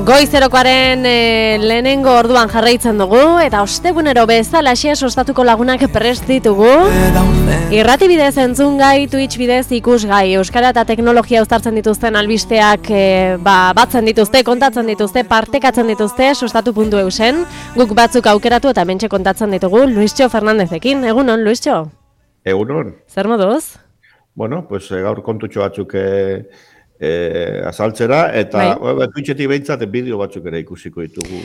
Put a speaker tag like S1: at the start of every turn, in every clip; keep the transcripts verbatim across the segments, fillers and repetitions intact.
S1: Goizerokoaren e, lehenengo orduan jarraitzen dugu eta ostegunero bezalaxe sostatuko lagunak prest ditugu. Irrati bidez entzungai, Twitch bidez ikusgai, euskara eta teknologia uztartzen dituzten albisteak e, ba, batzen dituzte, kontatzen dituzte, partekatzen dituzte sostatu puntu eusen. Guk batzuk aukeratu eta mentxe kontatzen ditugu Luistxo Fernandezekin. Egunon, Luistxo?
S2: Egunon.
S1: Zer moduz?
S2: Bueno, pues gaur kontutxo batzuk e, e, azaltzera, eta bai. Twitchetik behintzat bideo batzuk ere ikusiko ditugu,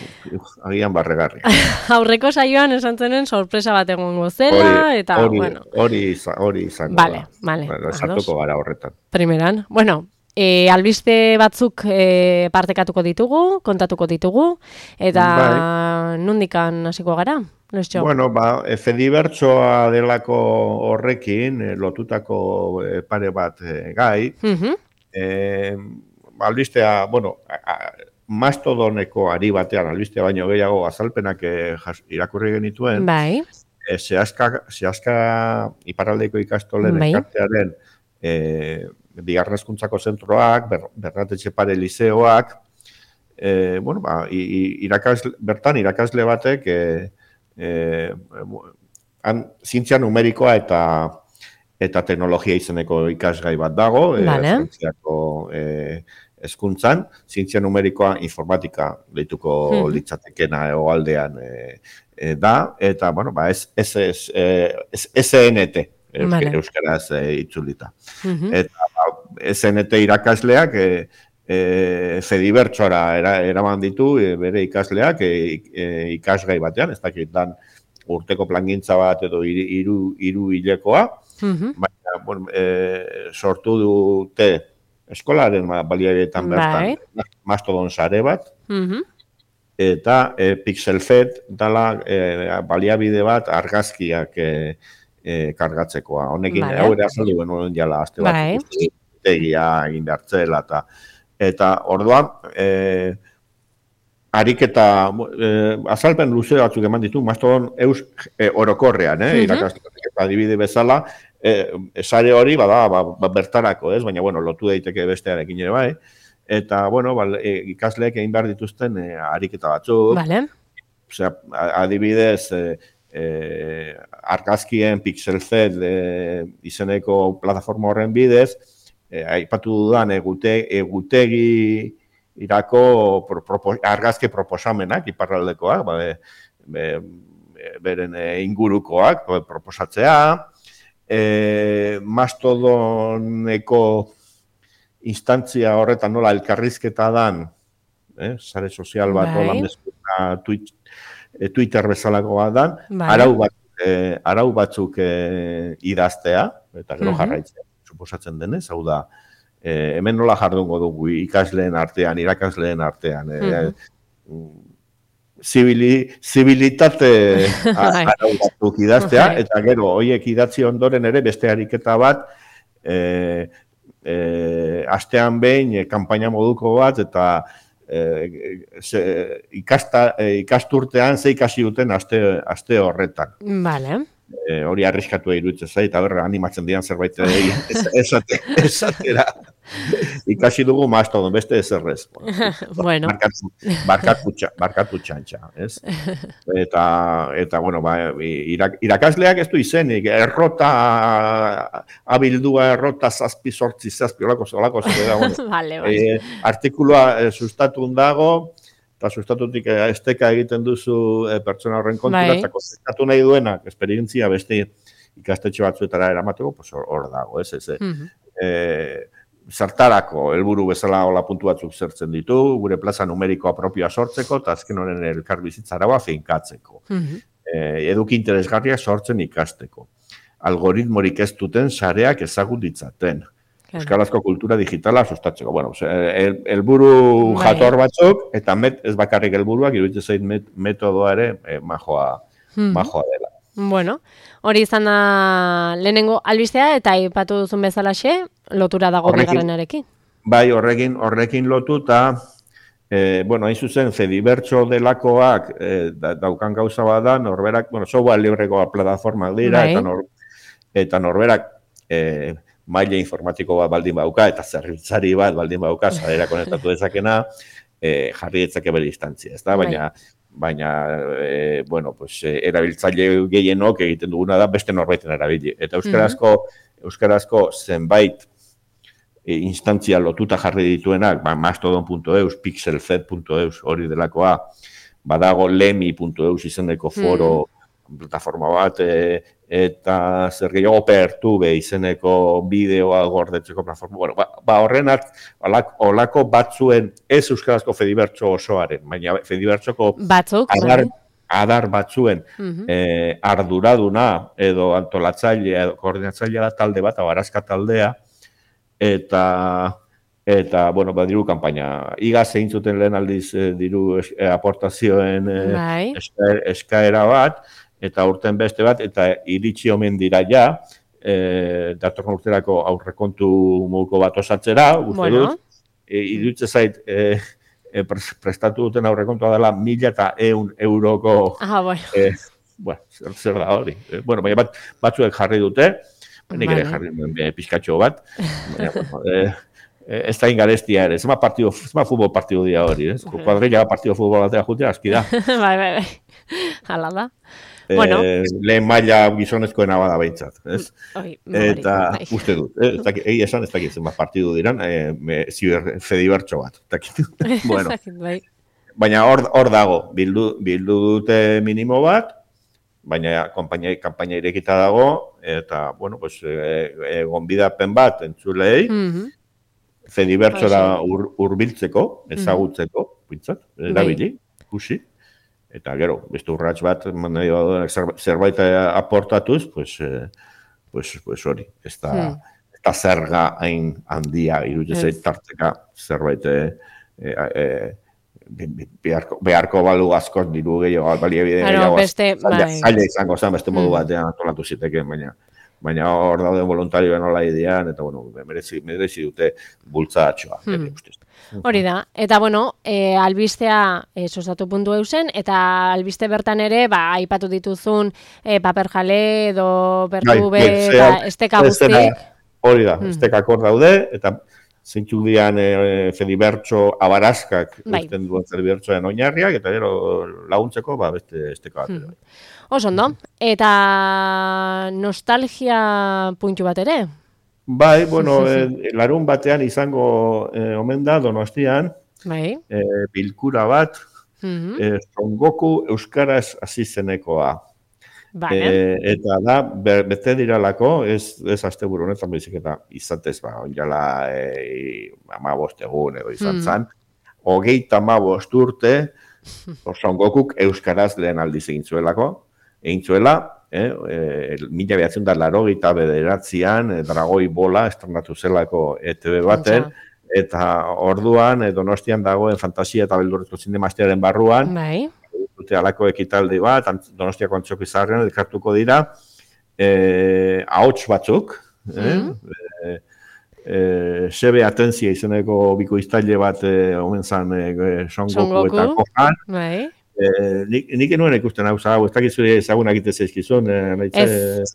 S2: agian barregarri.
S1: Aurreko saioan esan zenen sorpresa bat egongo zela, eta,
S2: ori,
S1: bueno.
S2: Hori hori izango
S1: vale,
S2: da.
S1: Vale,
S2: bueno, sartuko gara horretan.
S1: Primeran, bueno, e, albiste batzuk e, partekatuko ditugu, kontatuko ditugu, eta bai. Nundikan hasiko gara? Luistxo.
S2: Bueno, ba, Fedibertsoa delako horrekin, eh, lotutako eh, pare bat eh, gai, uh-huh. eh, albistea, bueno, a, a, mastodoneko ari batean, albistea baino gehiago azalpenak eh, jas, irakurri genituen,
S1: bai.
S2: eh, zehazka, zehazka iparraldeko ikastolen bai. Elkartearen eh, bigarren hezkuntzako zentroak, ber, Bernatetxe Pare lizeoak, eh, bueno, ba, irakasle, bertan irakasle batek, eh, Eh, han, zientzia numerikoa eta eta teknologia izeneko ikasgai bat dago, vale. Frantziako eh, hezkuntzan, zientzia numerikoa informatika deituko hmm. litzatekena egoaldean eh, eh, da, eta, bueno, ba, ez, ez, ez, ez, S N T, vale. Euskaraz eh, itzulita. Hmm. Eta ba, S N T irakasleak eh, E, Fedibertsora era, eraman ditu e, bere ikasleak e, e, ikasgai batean, ez dakit dan urteko plangintza bat edo hiru hiru hilekoa, mm-hmm. baina bueno, e, sortu dute eskolaren baliabideetan bertan bai. Mastodon sare bat, mm-hmm. eta e, Pixelfed dala e, baliabide bat argazkiak e, e, kargatzekoa. Honekin, bai. Hau ere azaldu genuen jala azte bat, bai. Tegia egin behartzela eta Eta orduan, eh, ariketa, eh, azalpen luze batzuk eman ditu, Mastodon eus eh, orokorrean, eh, uh-huh. irakasleak adibide bezala, eh, sare hori bada ba, ba, bertarako, ez? Baina, bueno, lotu daiteke bestearekin ere bai. Eta, bueno, ba, e, ikasleek egin behar dituzten eh, ariketa batzuk.
S1: Vale.
S2: Osea, adibidez, eh, eh, argazkien Pixelfed eh, izeneko plataforma horren bidez, Eh, aipatu dudan egute, egutegi irako pro, propo, argazke proposamenak, iparraldekoak, ba, be, be, beren ingurukoak proposatzea, e, Mastodoneko instantzia horretan nola elkarrizketa dan, eh, sare sozial bat, hola mezuna, Twitch, eh, Twitter bezalako bat dan, bai. arau, bat, eh, arau batzuk eh, idaztea, eta gero uh-huh. jarraitzea. Suposatzen denez, hau da, eh, hemen nola jardungo dugu ikasleen artean, irakasleen artean, eh, mm-hmm. zibili, zibilitate arau batzuk idaztea, eta gero, horiek idatzi ondoren ere beste ariketa bat, eh, eh, astean behin, eh, kanpaina moduko bat, eta eh, ze, ikasta, eh, ikasturtean ze ikasi duten aste, aste horretan.
S1: Vale.
S2: E, hori arriskatu iruditzen zait, eta berra animatzen dian zerbait esate, esatera. Ikasi dugu Mastodon, beste ezerrez.
S1: Bueno.
S2: Barkatu, barkatu txantxa, ez? Eta, eta bueno, ba, irak, irakasleak ez du izenik, errota, abildua errota zazpi, sortzi, zazpi, olako, olako, bueno.
S1: Vale, vale.
S2: E, artikulua e, sustatun dago, eta sustatutik esteka egiten duzu e, pertsona horren kontura, eta konzertatu nahi duenak, esperientzia beste ikastetxe batzuetara eramateko, pues hor dago, ez, ez, mm-hmm. e, zertarako helburu bezala hola puntu batzuk zertzen ditu, gure plaza numerikoa propioa sortzeko, eta azken horren elkarbizitzaragoa finkatzeko. Mm-hmm. E, eduki interesgarriak sortzen ikasteko. Algoritmorik ez duten sareak ezagut ditzaten. Euskarazko kultura digitala sustatzeko. Bueno, helburu el, jator batzuk, eta met, ez bakarrik helburuak, iruditzen zait met, metodoa ere eh, majoa, hmm. majoa dela.
S1: Bueno, hori izan da lehenengo albistea, eta aipatu duzun bezalaxe, lotura dago bigarrenarekin.
S2: Bai, horrekin, horrekin lotu, eta, eh, bueno, hain zuzen, Fedibertso delakoak eh, da, daukan gauza bat da, norberak, bueno, software libreko plataformak dira, bai. eta, nor, eta norberak, eh, maila informatiko bat baldin bauka, eta zerbitzari bat baldin bauka, zarera konektatu dezakena, e, jarri ditzake bere instantzia, ez da? Baina, baina e, bueno, pues, e, erabiltzaile gehienok egiten duguna da beste norbaiten erabili. Eta euskarazko, mm-hmm. euskarazko zenbait e, instantzia lotuta jarri dituenak, ba, mastodon puntu eus, pixelfed puntu eus, hori delakoa, badago lemi puntu eus izeneko foro, mm-hmm. plataforma bat, e, eta zer gehiago Pertube izeneko bideoa gordetzeko plataforma. Bueno, ba, ba horrenat, olako batzuen ez euskarazko Fedibertso osoaren, baina Fedibertsoko
S1: batzuk,
S2: adar, adar batzuen uh-huh. eh, arduraduna edo antolatzailea edo koordinatzailea da talde bat, abarazka taldea, eta eta, bueno, ba, diru kanpaina. Iga zein zuten lehen aldiz eh, diru es, eh, aportazioen eh, eska, eskaera bat, eta urten beste bat, eta iritsi omen dira ja, e, datorren urterako aurrekontu moduko bat osatzera, uste bueno. dut, e, iruditze zait, e, e, prestatu duten aurrekontua dela mila eta eun euroko,
S1: ah, bueno.
S2: e, bueno, zer, zer da hori. E, bueno, baina bat, batzuek jarri dute, nik ere jarri duen e, pizkatxo bat, baina, bueno, e, ez da ingarestia ere, zema partido, zema futbol partido dia hori, ez? Uh-huh. Kuadrilla partido futbol batera jutea, aski da.
S1: bai, bai, bai, hala da. Bueno.
S2: Eh, lehen maila gizonezkoena bada behintzat, ez?
S1: Oi,
S2: eta bai. Uste dut, eh? Egi esan ez dakit zenbat partidu diran, eh, ziber Fedibertso bat. Bueno. Baina hor, hor dago, bildu, bildu dute minimo bat, baina konpainia, kanpaina irekita dago, eta, bueno, pues, eh, eh, gonbidapen bat entzulei, mm-hmm. Fedibertsora ur, urbiltzeko, ezagutzeko, pintzat, erabili, ikusi. Eta gero, beste urrats bat, zerbait aportatuz, pues, eh, pues, pues hori, ez da, hmm. ez da zerga hain handia, iruditzen yes. tarteka zerbait eh, eh, beharko, beharko balu askoz diru gehiago, balia bide gehiago, zaila izango zen, beste modu batean antolatu ziteken, baina baina hor dauden voluntarioen nola idean, eta bueno, merezi, merezi dute bultzatxoa. Hmm.
S1: Hori da, eta bueno, e, albistea e, sostatu puntu eusen, eta albiste bertan ere, ba, aipatu dituzun e, paper jale edo Pertube, eta esteka guztik.
S2: Hori da, hmm. estekak hor daude, eta zeintzuk dian e, Fedibertso abarazkak, bai. Usten duen Fedibertsoen oinarriak, eta gero laguntzeko, ba, beste esteka bat. Hmm.
S1: Oso ondo, eta nostalgia puntu bat ere?
S2: Bai, bueno, eh, larun batean izango eh, omen da Donostian,
S1: bai.
S2: eh, bilkura bat, mm-hmm. eh, Son Goku euskaraz hasi zenekoa.
S1: Vale.
S2: Eh, eta da, be, bete diralako, ez, ez asteburu honetan bezik eta izatez, ba, onjala eh, amabost egun edo izan mm. zan, hogeita amabost urte, Son Gokuk euskaraz lehen aldiz egin zuelako, egin zuela, eh, eh, mila behatzen da laro gita bederatzean, eh, Dragoi Bola estrenatu zelako E T B baten, eta orduan eh, Donostian dagoen fantasia eta beldurrezko zinemastearen barruan,
S1: bai.
S2: Dute alako ekitaldi bat, Donostiako Antzoki Zaharrean elkartuko dira, eh, ahots batzuk, eh, mm. eh, eh, Sebe Atentzia izeneko bikoiztaile bat eh, omen zan eh, Son Goku eta Gohan,
S1: bai.
S2: Eh, nik, nik enuen ikusten hau zau, ez dakit zure ezagunak ite zeizkizun, eh,
S1: ez,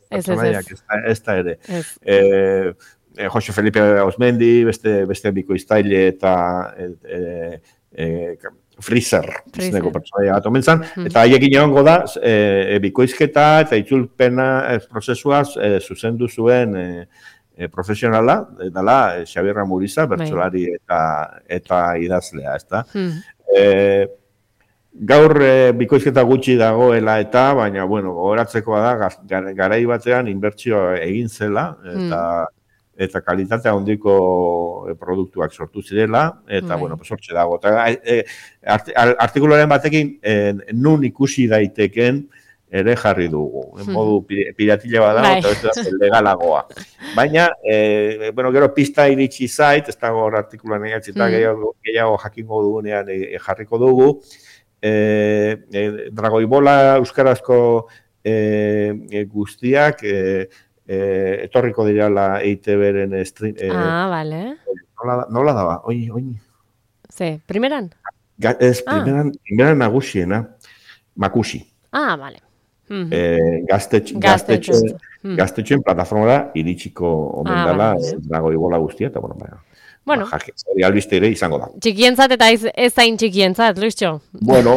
S1: ez, ez,
S2: ez da ere. Eh, eh, Jose Felipe Osmendi, beste, beste bikoiztaile eta eh, eh, Freezer, izeneko pertsonaia bat omen zan, hmm. eta haiekin egongo da, eh, bikoizketa eta itzulpena eh, prozesua eh, zuzendu zuen eh, eh, profesionala, dela eh, Xabier Ramuriza, bertsolari eta, eta idazlea, ez da. Hmm. Eh, Gaur e, bikoizketa gutxi dagoela eta, baina, bueno, gogoratzekoa da, garai batean inbertsioa egin zela, eta, mm. eta kalitatea handiko produktuak sortu zirela, eta, mm. bueno, sortxe dago. Eta, e, art, artikuloren batekin, e, nun ikusi daiteken ere jarri dugu. En modu piratile bada, eta ez da legalagoa. Baina, e, bueno, gero pista iritsi zait, ez dago artikuloan egatzi, eta mm. gehiago, gehiago jakingo dugunean e, jarriko dugu, E, e, Dragoi Bola euskarazko e, e, guztiak e, e, etorriko dirala E I Te Beren stream. E,
S1: ah, vale.
S2: Nola, nola daba? Oin, oin.
S1: Ze, primeran?
S2: Ga, ez, primeran, ah. primeran nagusiena, Makusi.
S1: Ah, vale. Mm-hmm.
S2: E, gaztetxe, gaztetxe, mm. gaztetxen plataformara iritsiko omen ah, dela vale. Dragoi Bola guztia, eta bueno, baina.
S1: Bueno.
S2: Ba, hori albiste ere izango da.
S1: Txikientzat eta ez, ez zain txikientzat, Luistxo.
S2: Bueno,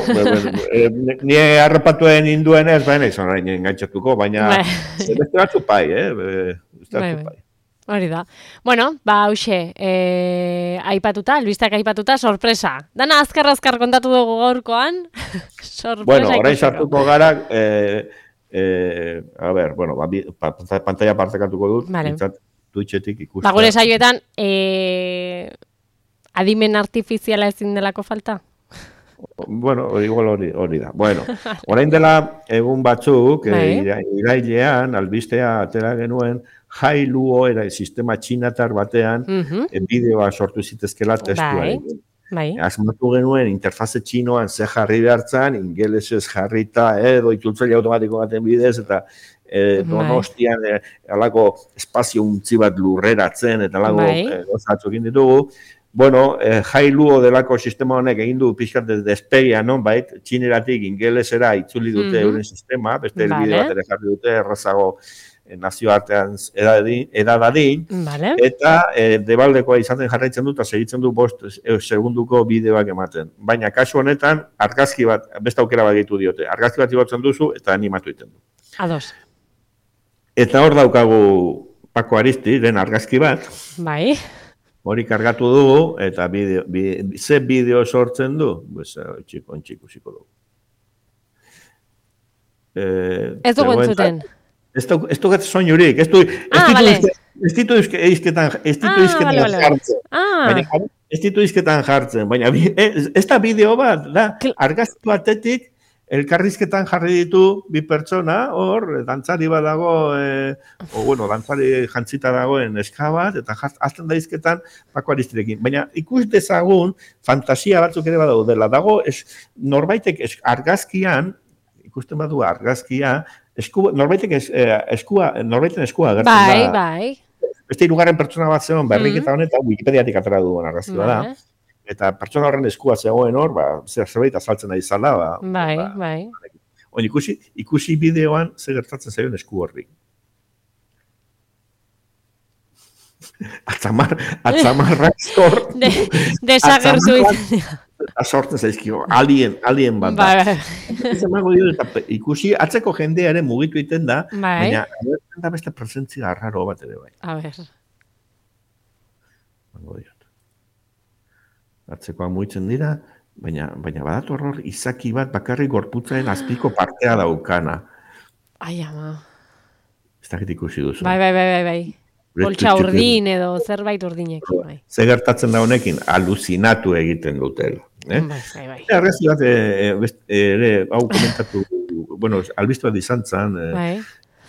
S2: e, ni harrapatuen induen ez, baina izan nahi engaitxatuko, baina beste batzu pai, eh? Beste batzu pai.
S1: Hori da. Bueno, ba, hauxe, e, aipatuta, albistak aipatuta, sorpresa. Dana azkar-azkar kontatu dugu gaurkoan. Sorpresa.
S2: Bueno, orain sartuko gara, eh, eh, a ver, bueno, ba, pantalla partekatuko dut,
S1: vale.
S2: Twitchetik ikustea.
S1: Ba, gure saioetan, e, adimen artifiziala ezin delako falta?
S2: Bueno, igual hori, hori da. Bueno, orain dela egun batzuk, e, irailean, albistea atera genuen, Hailuo era sistema txinatar batean, uh -huh. e, bideoa sortu zitezkela testuaren.
S1: Bai.
S2: Asmatu genuen interfaze txinoan ze jarri behartzen, ingelesez jarrita edo itzultzaile automatiko baten bidez, eta e, Donostian e, alako espazio untzi bat lurreratzen, eta alako e, gozatzukin ditugu. Bueno, eh, Hailuo delako sistema honek egin du pixkat despegia, non, bait, txineratik ingelesera itzuli dute mm-hmm. euren sistema, beste vale. Elbide bat ere jarri dute, errazago eh, nazioartean edadadin,
S1: vale.
S2: Eta eh, debaldekoa izaten jarraitzen dut, eta segitzen du bost eh, segunduko bideoak ematen. Baina kasu honetan, argazki bat, beste aukera bat ditu diote, argazki bat igotzen duzu, eta animatu egiten du.
S1: Ados.
S2: Eta hor daukagu Pako Aristi, den argazki bat.
S1: Bai.
S2: Hori kargatu dugu, eta bideo, bideo, ze bideo sortzen du? Pues, txiko, ontxiko, ziko dugu.
S1: Eh, ez dugu entzuten.
S2: Ez du gatzen soinurik, ez du izketan jartzen. Ez ditu izketan jartzen, baina ez da bideo bat, da, argaztu batetik, elkarrizketan jarri ditu bi pertsona, hor, dantzari bat dago, e, o, bueno, dantzari jantzita dagoen eska bat, eta azten da izketan Pako Aristirekin. Baina ikus dezagun, fantasia batzuk ere badaudela. Dago, es, norbaitek es, argazkian, ikusten badu argazkia, esku, norbaitek es, eh, eskua, norbaiten eskua agertzen da.
S1: Bai, bai.
S2: Beste hirugarren pertsona bat zegoen, berriketa honetan, Wikipediatik atera duen argazkia da. Eta pertsona horren eskua zegoen hor, ba, zer zerbait azaltzen ari zala, ba.
S1: Bai,
S2: ba,
S1: bai.
S2: On, ikusi, ikusi bideoan zer gertatzen zaion esku horri. Atzamar, atzamarrak sortu.
S1: Desagertu izan.
S2: Sortzen zaizkio, alien, alien bat da.
S1: Bai,
S2: bai. Ikusi, atzeko jendearen mugitu egiten da,
S1: bai.
S2: Baina da beste presentzia arraro bat ere bai.
S1: A ber.
S2: Bango diot. Atzekoa muitzen dira, baina, baina badator hor izaki bat bakarrik gorputzaren azpiko partea daukana.
S1: Ai, ama.
S2: Ez dakit ikusi duzu.
S1: Bai, bai, bai, bai, bai. Poltsa urdin edo zerbait urdinekin, bai.
S2: Ze gertatzen da honekin, aluzinatu egiten dutela. Eh?
S1: Bai, bai, bai.
S2: Argazki bat, ere, hau komentatu, bueno, albiztu bat izan zen,
S1: bai.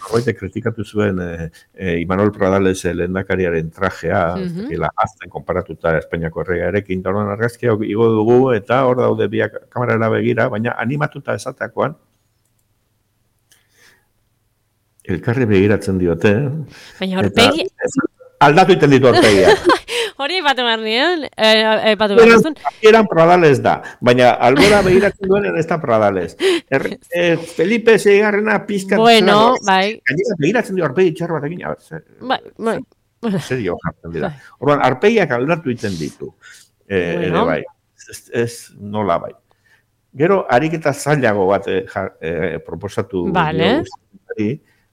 S2: Horreite kritikatu zuen eh, eh, Imanol Pradales lehendakariaren trajea, mm-hmm. la azten konparatuta Espainiako erregarekin, da horren argazkia igo dugu, eta hor daude biak kamerara begira, baina animatuta esateakoan, elkarri begiratzen diote.
S1: Baina horpegi...
S2: Aldatu iten ditu horpegia.
S1: Hori ipatu behar nien, ipatu behar nizun.
S2: Eran Pradales da, baina albora begiratzen duen ez da Pradales. Er, eh, Felipe seigarrena pizkat...
S1: Bueno, bai.
S2: Gainera begiratzen dio arpegi txar bat egin.
S1: Bai, bai.
S2: Serio jartzen dira. Orduan, arpegiak aldatu iten ditu. Eh, bueno. Bai, ez, ez nola bai. Gero, ariketa zailago bat eh, eh, proposatu.
S1: Vale.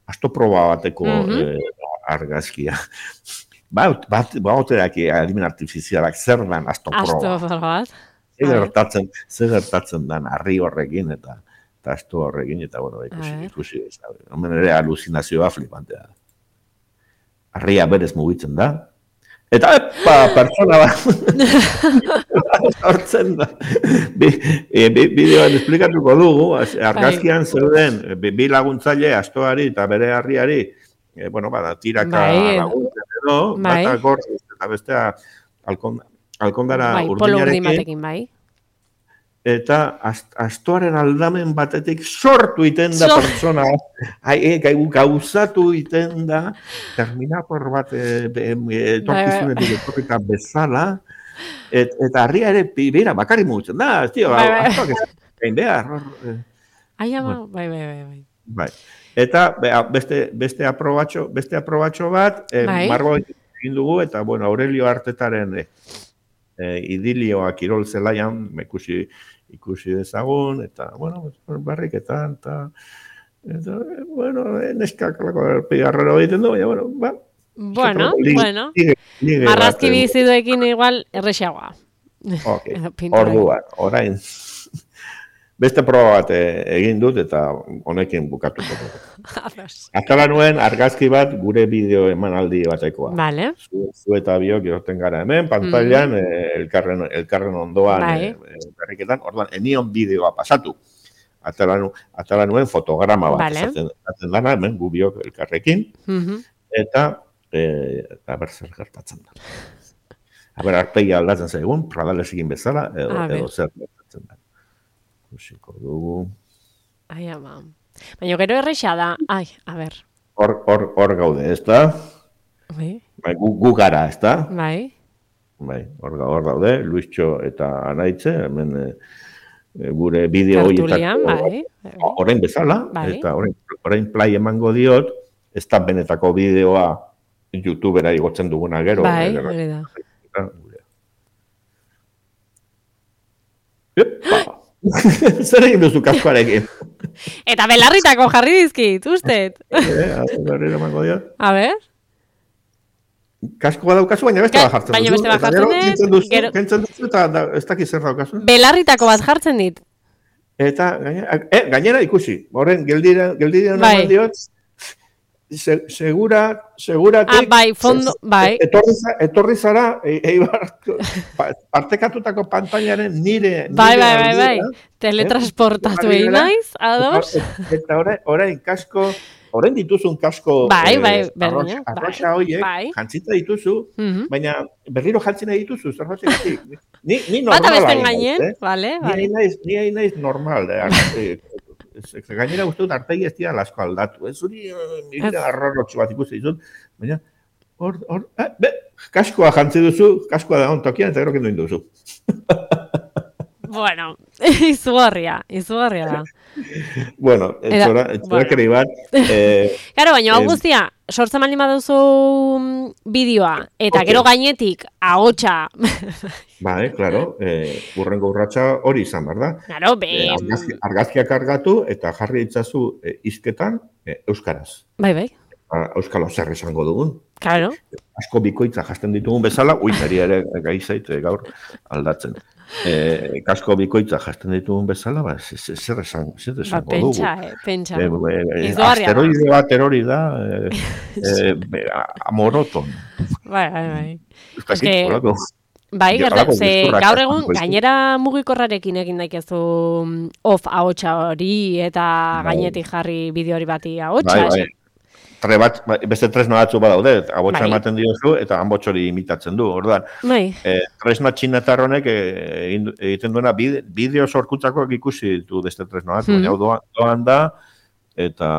S2: Asto proba bateko mm-hmm. eh, argazkia. Ba, bat, ba, oterak adimen artifizialak zer dan asto proba.
S1: Asto proba bat.
S2: Zer gertatzen, zer gertatzen dan arri horrekin eta, eta asto horrekin, eta bueno, ikusi, ikusi. Hemen ere aluzinazioa flipantea. Arria berez mugitzen da. Eta, epa, pertsona bat. Hortzen da. Bideoan esplikatuko dugu, argazkian zeuden, bi laguntzaile, astoari eta bere harriari, Eh, bueno, bada, tiraka bai, laguntzen edo, bai. Bata gorri, eta bestea alkond, alkondara
S1: bai,
S2: urdinarekin.
S1: Bai.
S2: Eta ast, astoaren aldamen batetik sortu iten da so. Pertsona, hai, e, gauzatu iten da, Terminator bat e, e, torkizunetik etorrita bezala, et, eta harria ere, bera, bakarri mugitzen da, tio, bai, bai. Astoak ez gain behar.
S1: Ai, ama, bai, bai, bai, bai.
S2: Bai. Eta beste beste aprobatxo, beste aprobatxo bat, eh, bai. Margo egin dugu, eta, bueno, Aurelio Artetaren e, e, idilioa kirol zelaian, ikusi, ikusi dezagun, eta, bueno, barriketan, eta, eta bueno, neskak lako pigarrero egiten du, baina, bueno, ba,
S1: Bueno, bueno, marrazki biziduekin igual errexagoa.
S2: Ok, orduan, orain, beste proba bat egin dut eta honekin bukatuko dut. Atala nuen argazki bat gure bideo emanaldi batekoa.
S1: Vale.
S2: Zu, zu eta biok irten gara hemen, pantailan, mm. eh, elkarren, elkarren ondoan, bai. eh, berriketan, orduan, enion bideoa pasatu. Atala, atala nuen fotograma bat, vale. Zaten, zaten dana, hemen gu biok elkarrekin, mm-hmm. eta, eh, eta ber zer gertatzen da. Aber, arpegia aldatzen zaigun, pradales egin bezala, edo, edo zer gertatzen da. Kusiko dugu.
S1: Ai, ama. Baina gero erreixa da. Ai, a ber.
S2: Hor, hor, hor gaude, ez da?
S1: Bai.
S2: Bai, gu, gu gara, ez da?
S1: Bai.
S2: Bai, hor, hor gaude, Luistxo eta Anaitze, hemen e, gure bideo horietako.
S1: Bai.
S2: Orain bezala,
S1: bai.
S2: Eta orain, orain play emango diot, ez da benetako bideoa YouTubera igotzen duguna gero.
S1: Bai, hori da.
S2: Epa! Zer egin duzu kaskoarekin?
S1: Eta belarritako jarri dizkit, usted. A ber?
S2: Kaskoa daukazu, baina beste bat jartzen duzu.
S1: Baina beste bat jartzen
S2: dut. Kentzen duzu eta ez dakiz zer daukazu.
S1: Belarritako bat jartzen dit.
S2: Eta gainera, eh, gainera ikusi. Horren, geldira, geldira
S1: bai.
S2: Naman diot, Se, segura, seguratik,
S1: ah, bai, fondo, bai.
S2: Etorri, etorri zara, eibar, partekatutako pantailaren nire...
S1: Bai, nire bai, bai, bai, teletransportatu egin naiz, ados.
S2: Eta orain kasko, orain dituzun kasko...
S1: Bai, bai,
S2: berdina. Arroxa horiek, bai. Jantzita dituzu, uh-huh. baina berriro jantzina dituzu, zer hotxegatik. Ni, ni normal
S1: bata besten gainen, eh? Vale,
S2: vale. Ni hain naiz normal, eh? Gainera uste dut artegi ez dira lasko aldatu. Ez hori, mira, arrorrotxo bat ikusi dizut. Baina, hor, hor, eh, be, kaskoa jantzi duzu, kaskoa da ontokian, eta gero kendu induzu.
S1: Bueno, izugarria, izugarria da.
S2: Bueno, etxora, etxora bueno. Keri bat. Eh,
S1: Claro, baina hau guztia, sortzen baldin baduzu bideoa, eta okay. Gero gainetik, ahotsa.
S2: Bai, claro, eh, urrengo urratsa hori izan, behar da?
S1: Claro, be...
S2: Eh, argazki, argazkiak argatu eta jarri ditzazu eh, izketan eh, euskaraz.
S1: Bai, bai.
S2: Euskalo zer esango dugun.
S1: Claro.
S2: Asko bikoitza jasten ditugun bezala, uitari ere gai zait gaur aldatzen. Eh, kasko bikoitza jasten ditugun bezala, ba, zer esan, zer esango
S1: ba,
S2: dugu.
S1: Pentsa, eh, pentsa.
S2: Eh, eh, asteroide bat erori da, eh, eh, amoroton.
S1: Bai, bai, bai.
S2: Euskaki, holako.
S1: Bai, gertatzen, ze gaur egun gainera mugikorrarekin egin daikezu off ahotsa hori eta bai. Gainetik jarri bideo hori bati ahotsa.
S2: Bai, bai. Tre bat, beste tresna batzu badaude, ahotsa bai. Ematen diozu eta hanbots hori imitatzen du. Orduan,
S1: bai.
S2: eh, tresna txinatar honek egiten duena bideo sorkutzako ikusi ditu beste tresna bat, hmm. baina doan, doan da eta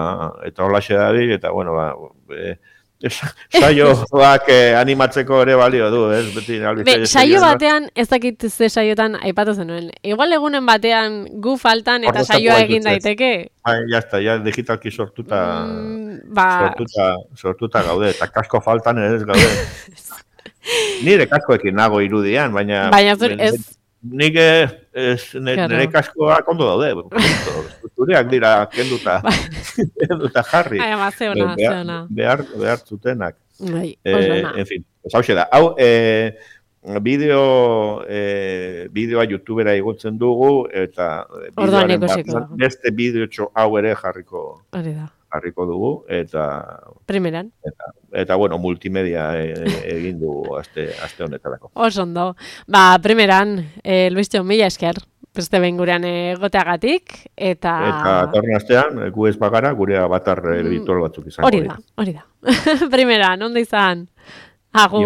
S2: eta holaxe dabil eta bueno, ba, eh, saioak eh, animatzeko ere balio du, ez? Beti,
S1: Be, saio batean, ez dakit ze saiotan aipatu zenuen. Igual egunen batean gu faltan eta saioa egin daiteke.
S2: Bai, jazta, ja digitalki sortuta,
S1: mm, ba...
S2: sortuta, sortuta gaude, eta kasko faltan ere ez gaude. Nire kaskoekin nago irudian, baina...
S1: Baina zur, ez...
S2: Nik ez, nire kaskoak ondo daude. Zureak dira kenduta, kenduta jarri.
S1: Ai, ama, zeona, zeona.
S2: Behar, behar zutenak.
S1: Bai,
S2: eh, en fin, hau da. Hau, eh, bideo, eh, bideoa YouTubera igotzen dugu, eta
S1: bideoaren bat,
S2: beste bideotxo hau ere jarriko,
S1: da.
S2: jarriko dugu, eta...
S1: Primeran.
S2: Eta, eta bueno, multimedia egin dugu aste, aste honetarako.
S1: Oso ondo. Ba, primeran, eh, Luistxo, mila esker. Beste behin gurean egoteagatik, eta...
S2: Eta torren astean, gu ez bagara, gure avatar virtual batzuk izango.
S1: Hori da, hori da. Primeran, ondo izan. Agur.